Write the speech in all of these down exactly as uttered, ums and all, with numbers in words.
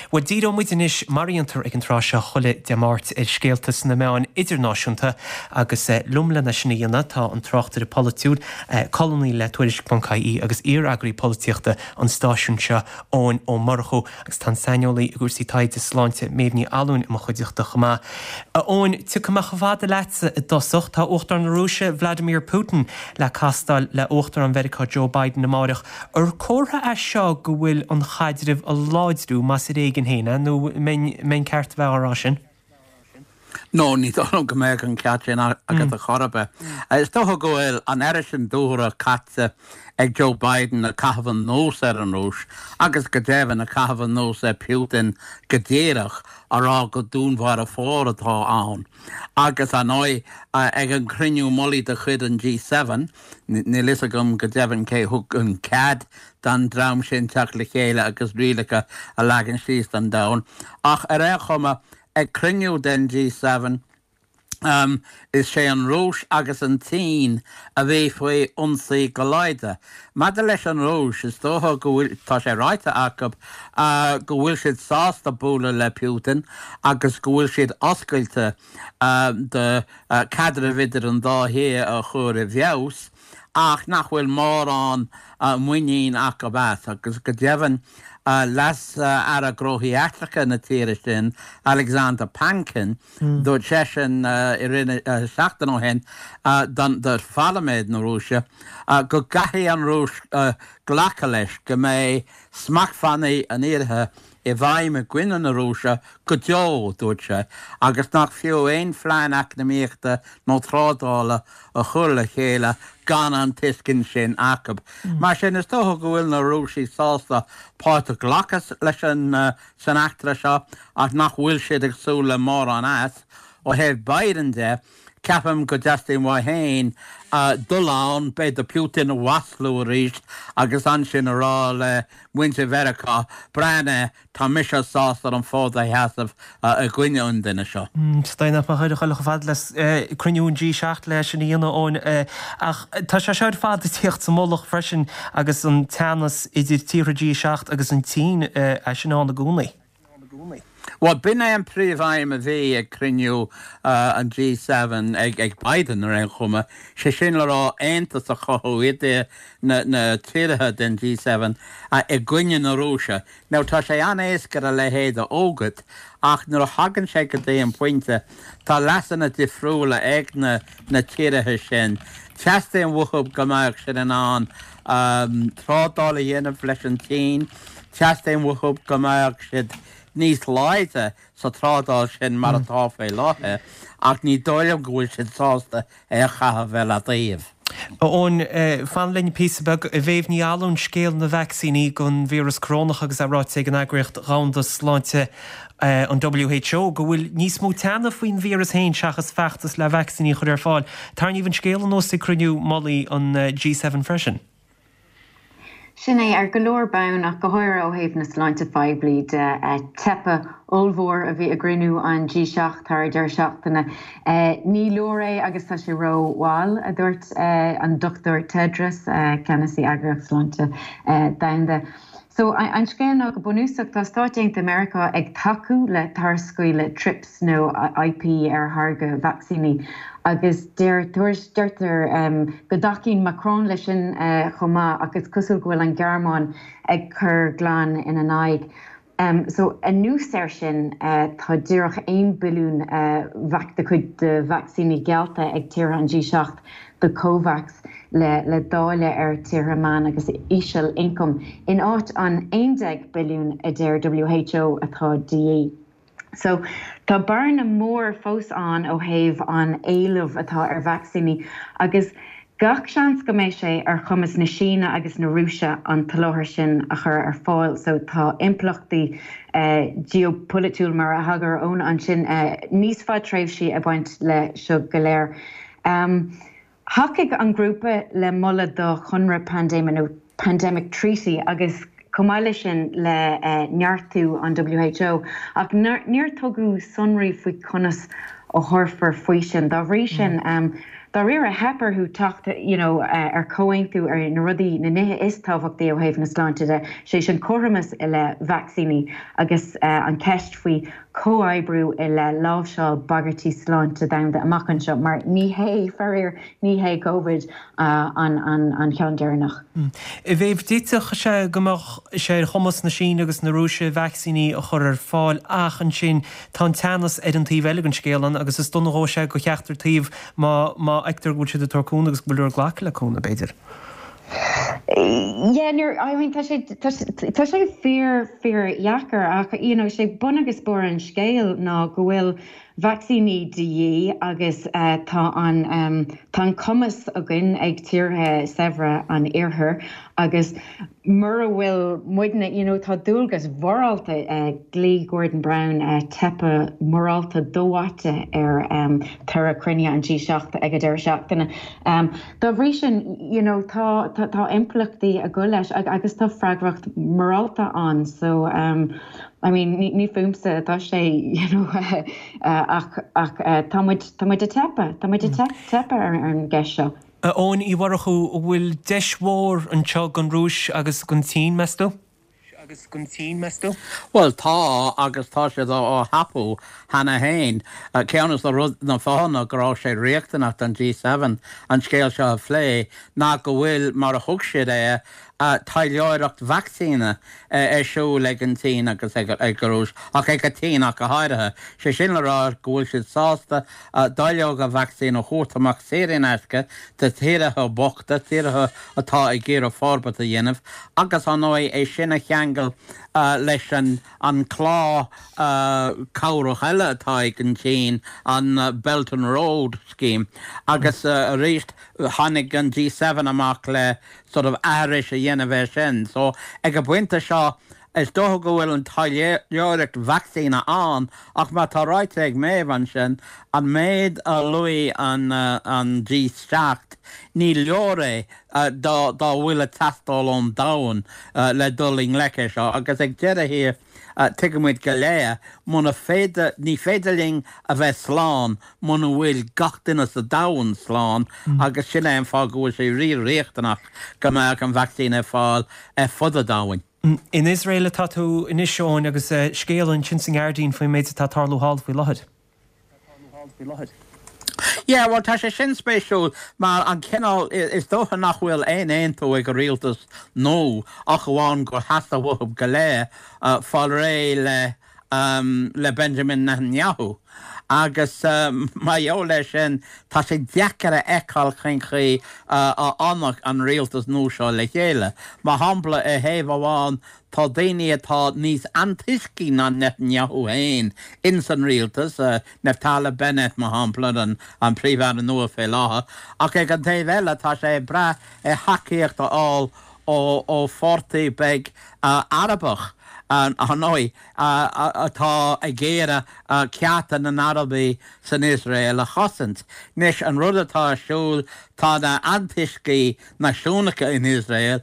Bhuel díreoidh muid anois mar a dhéantar ag an tráth seo chuile Dé Máirt ar scéalta sna meáin idirnáisiúnta agus liom lena sin a dhéanamh tá an tráchtaire polaitiúil colúnaí le Tuairisc ponc ie agus iar-eagraí polaitíochta an stáisiúin seo Eoin Ó Murchú agus tá an saineolaí i gcúrsaí taighde sláinte Méabh Ní Fhallúin i mo chuideachta chomh maith. A Eoin, tiocfaidh mé chomh fada leatsa i dtosach tá Uachtarán na Rúise Vladimir Putin le castáil le Uachtarán Mheiriceá Joe Biden amárach ar comhartha é seo go bhfuil an caidreamh á láidriú más ar éigean féin nó mbeinn ceart bheith á rá sin. No ní dóigh go mbeadh an ceart sin agat a chorbe. Is dócha go bhfuil an oiread sin dúthra caite ag Joe Biden ag caitheamh anuas ar an Rúis agus go deimhin ag caitheamh anuas ar Putin go díreach á rá go dúnmharfóir atá ann. Agus an oi ag an cruinniú mullaigh de chuid an G seven, níl fhios agam go deimhin cé thug an cead don dream sin teacht le chéile agus rialacha a leagan síos don domhan. Ach ar aon chuma ag cruinniú den G seven, um, is sé an Rúis agus an tSín a bhí faoi ionsaí go láidir. Maidir leis an Rúis is dócha go bhfuil tá sé ráite acu uh, go bhfuil siad sásta bualadh le Putin agus go bhfuil siad oscailte uh, de uh, caidreamh idir an dá thír a chur i bhfeabhas, ach nach bhfuil mórán uh, muinín acu as agus go deimhin uh, leas uh, aire gnóthaí eachtracha na tíre sin Alexander Pankin mm. dúirt seisean uh, i rith uh, seachtain ó shin uh, don do pharlaimint na Rúise uh, go gcaithfidh an Rúis uh, glacadh leis go mbeidh smachtbhannaí an iarthair i bhfeidhm i gcoinne na Rúise go deo dúirt sé, agus nach fiú aon phlean eacnamaíochta nó trádála a chur le chéile gan an tuiscint sin acu. Mm. Mar sin is dócha go bhfuil na Rúisigh sásta páirt a ghlacadh leis an uh, san eachtra seo ach nach bhfuil siad ag súil le mórán as ó thaobh Biden de, ceapaim go dteastaíonn uaidh féin uh, dul ann b'fhéidir Putin a mhaslú arís agus ansin a rá le muintir Mheiriceá breathnaigh tá mise sásta an fód a sheasamh uh, i gcoinne an duine seo. Stai nach chuir chuile fad le cruinniú an G seacht leis sin a dhéanamh Eoin ach tá sé seo ar fad ag tíocht sa mullach freisin agus an teannas idir tíortha G seacht agus an tSín é sin ann i gcónaí. Well, b'in é an príomhaidhm a bhí ag cruinniú uh, an G seven ag, ag Biden ar aon chuma, sé sin le rá aontas a chothú idir na, na tíortha den G seven uh, i gcoinne na Rúise. Now tá sé an-éasca a leithéid a fhógairt, ach nuair a thagann sé go dtí an pointe tá leasanna difriúla ag na, na tíortha sin. Teastaíonn uathu go mbeadh siad in ann um, trádáil a dhéanamh leis an tSín, teastaíonn uathu go mbeadh siad níos láidre sa trádáil sin mar atá faoi láthair, ach ní dóigh liom go bhfuil siad sásta é a chaitheamh ar leataobh. Eoin, fan linn píosa beag a Mhéabh Ní Fhallúin scéal na vacsaíní don víreas corónach agus é ráite ag an eagraíocht Dhomhanda Sláinte an W H O go bhfuil níos mó teannais faoin víreas féin seachas feachtas le vacsaíní a chur ar fáil. Tarraingíodh an scéal anuas ag cruinniú mullaigh an G seven freisin. Sin é ar go leor bonn ach go háirithe ó thaobh na sláinte phoiblí de teipe ollmhór a bhí i gcruinniú an G seacht thar deireadh seachtaine. Ní leor é agus tá sé rómhall a dúirt an Dochtúir Tedros, ceannasaí Eagraíocht Sláinte Domhanda. So an scéal ná go bunúsach tá Stáit Aontaithe Meiriceá ag tacú le tarscaoileadh TRIPS nó I P ar tháirgeadh vacsaíní agus deir deirtear go dtacaíonn Macron leis sin chomh maith agus cosúil go bhfuil an Ghearmáin ag cur glan ina n-aghaidh. Um, so anuas air sin uh, tá díreach aon billiún uh, vac de chuid de vacsaíní geallta ag tíortha an G seacht do COVAX le, le dáileadh ar tíortha meán agus íseal ioncam in áit an aon déag billiún a deir W H O atá de dhíth. So tá bearna mór fós ann ó thaobh an éileamh atá ar vacsaíní agus gach seans go mbeidh sé ar chumas na Síne agus na Rúise an t-soláthar sin a chur ar fáil, so tá impleachtaí uh, geopolaitiúil mar a thagair Eoin ansin uh, níos fadtréimhsí ag baint le seo go léir. Um, Thacaigh an grúpa le moladh do chonradh paindéime nó Pandemic Treaty agus chomh maith leis sin le uh, neartú an W H O ach níor tugadh sonraí faoi conas a thabharfar faoi sin. Dá bhrí sin, um, Dáiríre, theip orthu teacht you know ar chomhaontú ar na rudaí, na nithe is tábhachtaí ó thaobh na sláinte de, sé sin cothromas i leith vacsaíní agus an ceist faoi chomhoibriú i leith láimhseáil bagairtí sláinte domhanda amach anseo, mar ní hé, faraor, ní hé Covid an an ceann deireanach. A Mhéabh, d'fhéadfadh sé go mbeadh sé ar chumas na Síne agus na Rúise vacsaíní a chur ar fáil ach ansin tá an teannas ar an taobh eile den scéal ann agus is dona a dhófaidh sé do cheachtar taobh má má fheictear go bhfuil siad ag tabhairt cúnamh agus go bhfuil ag glacadh le cúnamh, b'fhéidir. Yeah, nuair, I mean, tá sé, tá tá sé fíor, fíor dheacair ach, you know, sé bun agus barr an scéil ná go bhfuil vacsaíní de dhíth agus tá an, tá an cumas againn ag tíortha saibhre an iarthair agus mura bhfuil muidne, you know, tá dualgas mhorálta, ghlaoigh Gordon Brown teipeadh morálta do-mhaite ar toradh cruinnithe an G seacht ag an deireadh seachtaine. Dá bhrí sin, you know, tá tá impleachtaí ag dul leis agus tá freagracht mhorálta ann so I mean ní ní fúmsa atá sé you know ach ach tá muid tá muid ag teipeadh, tá muid ag teipeadh ar an gceist seo. A Eoin Uí Mhurchú, an bhfuil deis mhór anseo don Rúis agus don tSín, meas tú? agus don tSín, meas tú? Bhuel, tá, agus tá siad á thapú cheana féin. Ceann de rud na fáthanna go raibh sé riachtanach don G seven an scéal seo a phlé ná go bhfuil, mar a thug siad é, taidhleoireacht vacsaíne ar siúl ag an tSín agus ag an Rúis, ach ag an tSín ach go háirithe. Sé sin le rá go bhfuil siad sásta dáileoga vacsaín a thabhairt amach saor in aisce do thíortha bochta, tíortha atá ag iarraidh forbairt a dhéanamh, agus ar ndóigh é sin a cheangal leis an an clár cabhrach eile atá ag an tSín, an Belt and Road Scheme. Agus arís tháinig an G seven amach le sort of aithris a dhéanamh air sin. So ag an bpointe seo is dócha go bhfuil an taidhleoireacht vacsaíne ann ach mar atá ráite ag Méabh ansin, an méid a luaigh an an G seacht, ní leor é dá dá bhfuil ag teastáil ón domhan le dul i ngleic air seo agus ag deireadh thiar Tuigimid go léir, muna féidir, ní féidir linn a bheith slán muna bhfuil gach duine sa domhan slán agus sin é an fáth go bhfuil sé rí-riachtanach go mbeadh an vacsaín ar fáil ar fud an domhain. In Iosrael atá tú anois, Eoin, agus scéal ansin sa nGuardian faoin méid atá ag tarlú thall faoi láthair. Yeah, bhuel tá sé sin spéisiúil mar an cineál, is dócha nach bhfuil aon aontú ag an rialtas nua ach amháin gur theastaigh uathu go léir fáil réidh le le Benjamin Netanyahu agus mar gheall air sin tá sé deacair a fheiceáil cén chaoi a fhanfadh an rialtas nua seo le chéile. Mar shampla, ar thaobh amháin Tá daoine atá níos antoiscí ná Netanyahu féin ins an rialtas, Naftali Bennett, mar shampla, an Príomh-Aire nua fé láthair, ach ag an taobh eile tá sé ag brath ar thacaíocht a fháil ó pháirtí beag Arabach, ar ndóigh, atá ag iarraidh cearta na nArabaigh san Iosrael a chosaint. Anois, an rud atá ar siúl, tá na antoiscigh náisiúnacha in Iosrael,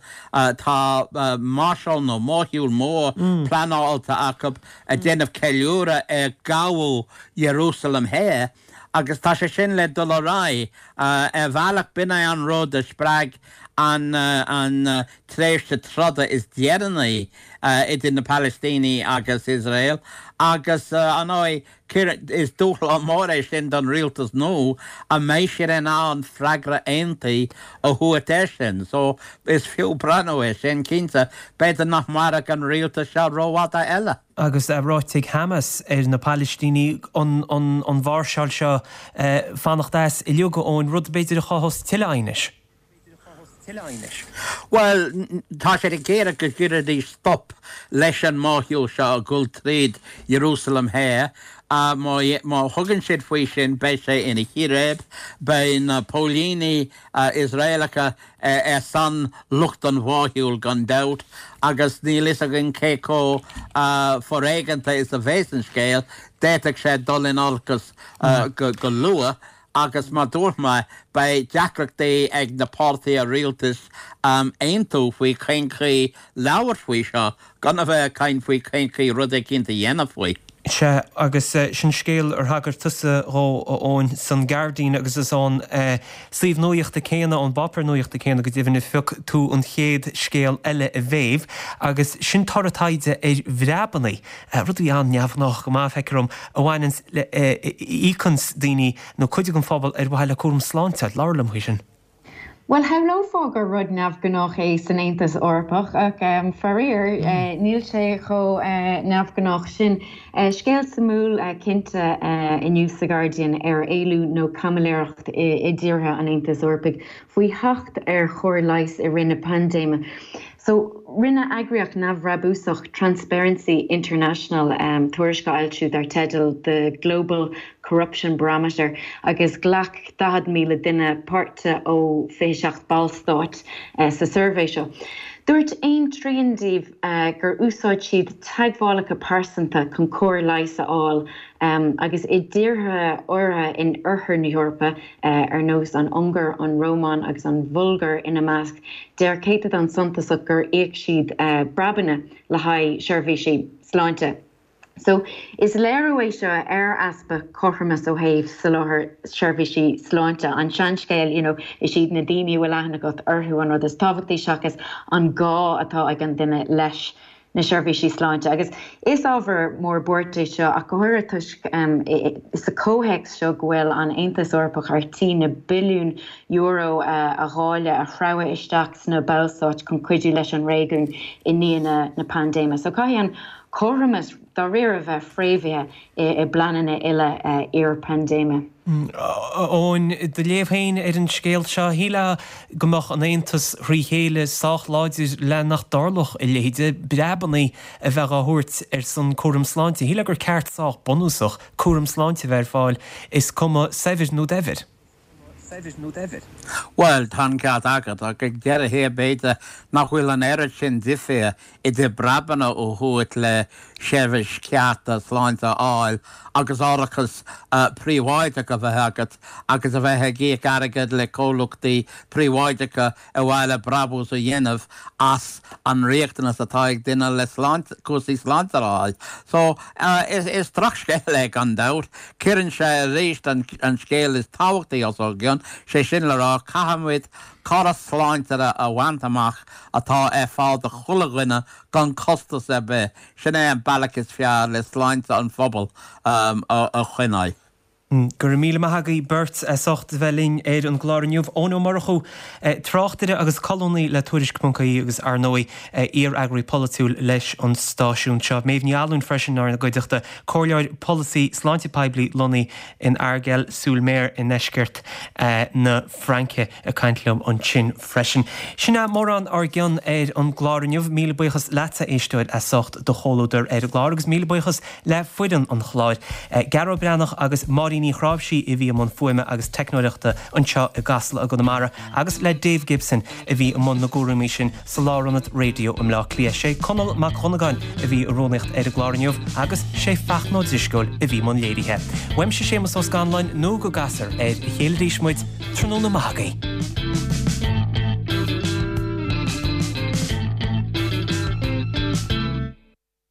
tá máirseáil nó mórshiúl mór pleanáilte acu ag déanamh ceiliúradh ar ghabhadh Iarúsailéim Thoir agus tá sé sin le dul ar aghaidh. Ar bhealach, b'in é an rud a spreag an an tréimhse troda is deireanaí idir na Palaistínigh agus Iosrael agus, ar ndóigh, Is dúshlán mór é sin don rialtas nua, an mbeidh siad in ann freagra aontaithe a thabhairt air sin? So, is fiú breathnú air sin, cinnte. B'fhéidir nach mairfidh an rialtas seo rófhada eile. Agus ráite ag Hamas ar na Palaistínigh an mháirseáil seo fanacht as uilig, Eoin, rud b'fhéidir a chothós tuilleadh aighnis. Bhuel, tá siad ag iarraidh go gcuirfidís stop leis an mórshiúl seo ag dul tríd Ierúsalem Thoir. Má thugann siad faoi sin, beidh sé ina chíréib. Beidh na póilíní Iosraelacha ar son lucht an mhórshiúil gan dabht, agus níl fhios againn cé chomh foréigeanta is a bheas an scéal. D'fhéadfadh sé dul in olcas go luath. Agus mar dúirt mé, beidh deacrachtaí ag na páirtithe rialtais aontú faoi cén chaoi labhairt faoi seo, gan a bheith ag caint faoi cén chaoi rud eicínt a dhéanamh faoi. Sea, agus sin scéal ar thagair tusa dhó, a Eoin, san Guardian agus is ón suíomh nuaíochta céanna, ón bpáipéar nuaíochta céanna go deimhin a phioc tú an chéad scéal eile a mhéabh agus sin toradh taighde ar bhreabannaí, rud a bhí an-neamhghnách go maith, feictear dom, a bhaineanns le, a íocanns daoine nó cuid den phobal ar mhaithe le cúram sláinte. Labhair liom faoi sin. Bhuel, shamhlófá gur rud neamhghnách é san Aontas Eorpach, ach faraor, níl sé chomh neamhghnách sin. Scéal suimiúil cinnte inniu sa Guardian ar éilliú nó caimiléireacht i dtíortha an Aontais Eorpaigh faoi theacht ar chóir leighis i rith na paindéime. So, rinne eagraíocht neamhbhrabúsach Transparency International tuairisc a fhoilsiú dar teideal The Global Corruption Barometer agus ghlac daichead míle duine páirt ó fiche seacht ballstát sa suirbhé seo. Dúirt aon trian díobh gur úsáid siad teagmhálacha pearsanta chun cóir leighis a fháil agus i dtíortha áirithe in oirthear na hEorpa, ar nós an Ungáir, an Rómáin agus an Bhulgáir ina measc, deir céatadán suntasach gur íoc siad breabanna le haghaidh seirbhísí sláinte. So, is léiriú é seo ar easpa cothromas ó thaobh soláthar seirbhísí sláinte. An seanscéal, you know, is iad na daoine a bhfuil aithne agat orthu an rud is tábhachtaí seachas an gá atá ag an duine leis na seirbhísí sláinte. Agus is ábhar mór buartha é seo ach go háirithe toisc sa chomhthéacs seo go bhfuil an Aontas Eorpach ar tí na billiúin euro a dháileadh, a shreabhadh isteach sna ballstáit chun cuidiú leis an réigiún i ndiaidh na paindéime. So caithfidh an cothromas dáiríre a bheith fréamhaithe i bpleananna uile iar-phaindéime. A Eoin, do léamh féin ar an scéal seo, shílfeá go mbeadh an Aontas thrí chéile sách láidir le nach dtarlódh a leithéid, breabannaí a bheith á thabhairt ar son cúram sláinte. Shílfeá gur ceart sách bunúsach cúram sláinte a bheith ar fáil, is cuma saibhir nó daibhir. Bhuel, tá an ceart agat, ach ag deireadh thiar b'fhéidir nach bhfuil an oiread sin difir idir breabanna a thabhairt le seirbhís cheart sláinte a fháil agus árachas príobháideach a bheith agat agus a bheith ag íoc airgead le comhlachtaí príobháideacha ar mhaithe le brabús a dhéanamh as an riachtanas atá ag duine le sláinte, cúrsaí sláinte a fháil. So, is drochscéal é gan dabht. Cuireann sé arís an scéal is tábhachtaí os ár gcionn, sé sin le rá, caithfimid córas sláinte a bhaint amach atá ar fáil do chuile dhuine gan costas ar bith. Sin é an bealach is fearr le sláinte an phobail a choinneáil. Go raibh míle maith agaibh beirt as ucht a bheith linn ar an gclár inniu. Eoin Ó Murchú, tráchtaire agus colúnaí le Tuairisc ponc ie agus ar ndóigh iar-eagraí polaitiúil leis an stáisiún seo. Méabh Ní Fhallúin freisin inár gcuideachta, comhairleoir polasaí sláinte poiblí lonnaithe in Argel-sur-Mer i ndeisceart na Fraince ag caint liom ansin freisin. Sin é mórán ár gcionn ar an gclár inniu. Míle buíochas leatsa, a éisteoir, as ucht do chomhluadar ar an gclár agus míle buíochas le foireann an chláir, Gearóid Breathnach agus Máirín Ní Chráimhsí a bhí i mbun fuaime agus teicneoireachta anseo i gCasla i gConamara agus le Dave Gibson a bhí i mbun na gcúraimí sin sa Lárionad Raidió i mBleá Cliath. Sé Conall Mac Dhonnagáin a bhí i rúnaíocht ar an gclár inniu agus sé Fachtna Ó Drisceoil a bhí i mbun léirithe. Uaimse Séamus Ó Scanláin nó go gcasfar ar a chéile arís muid, tráthnóna maith agaibh.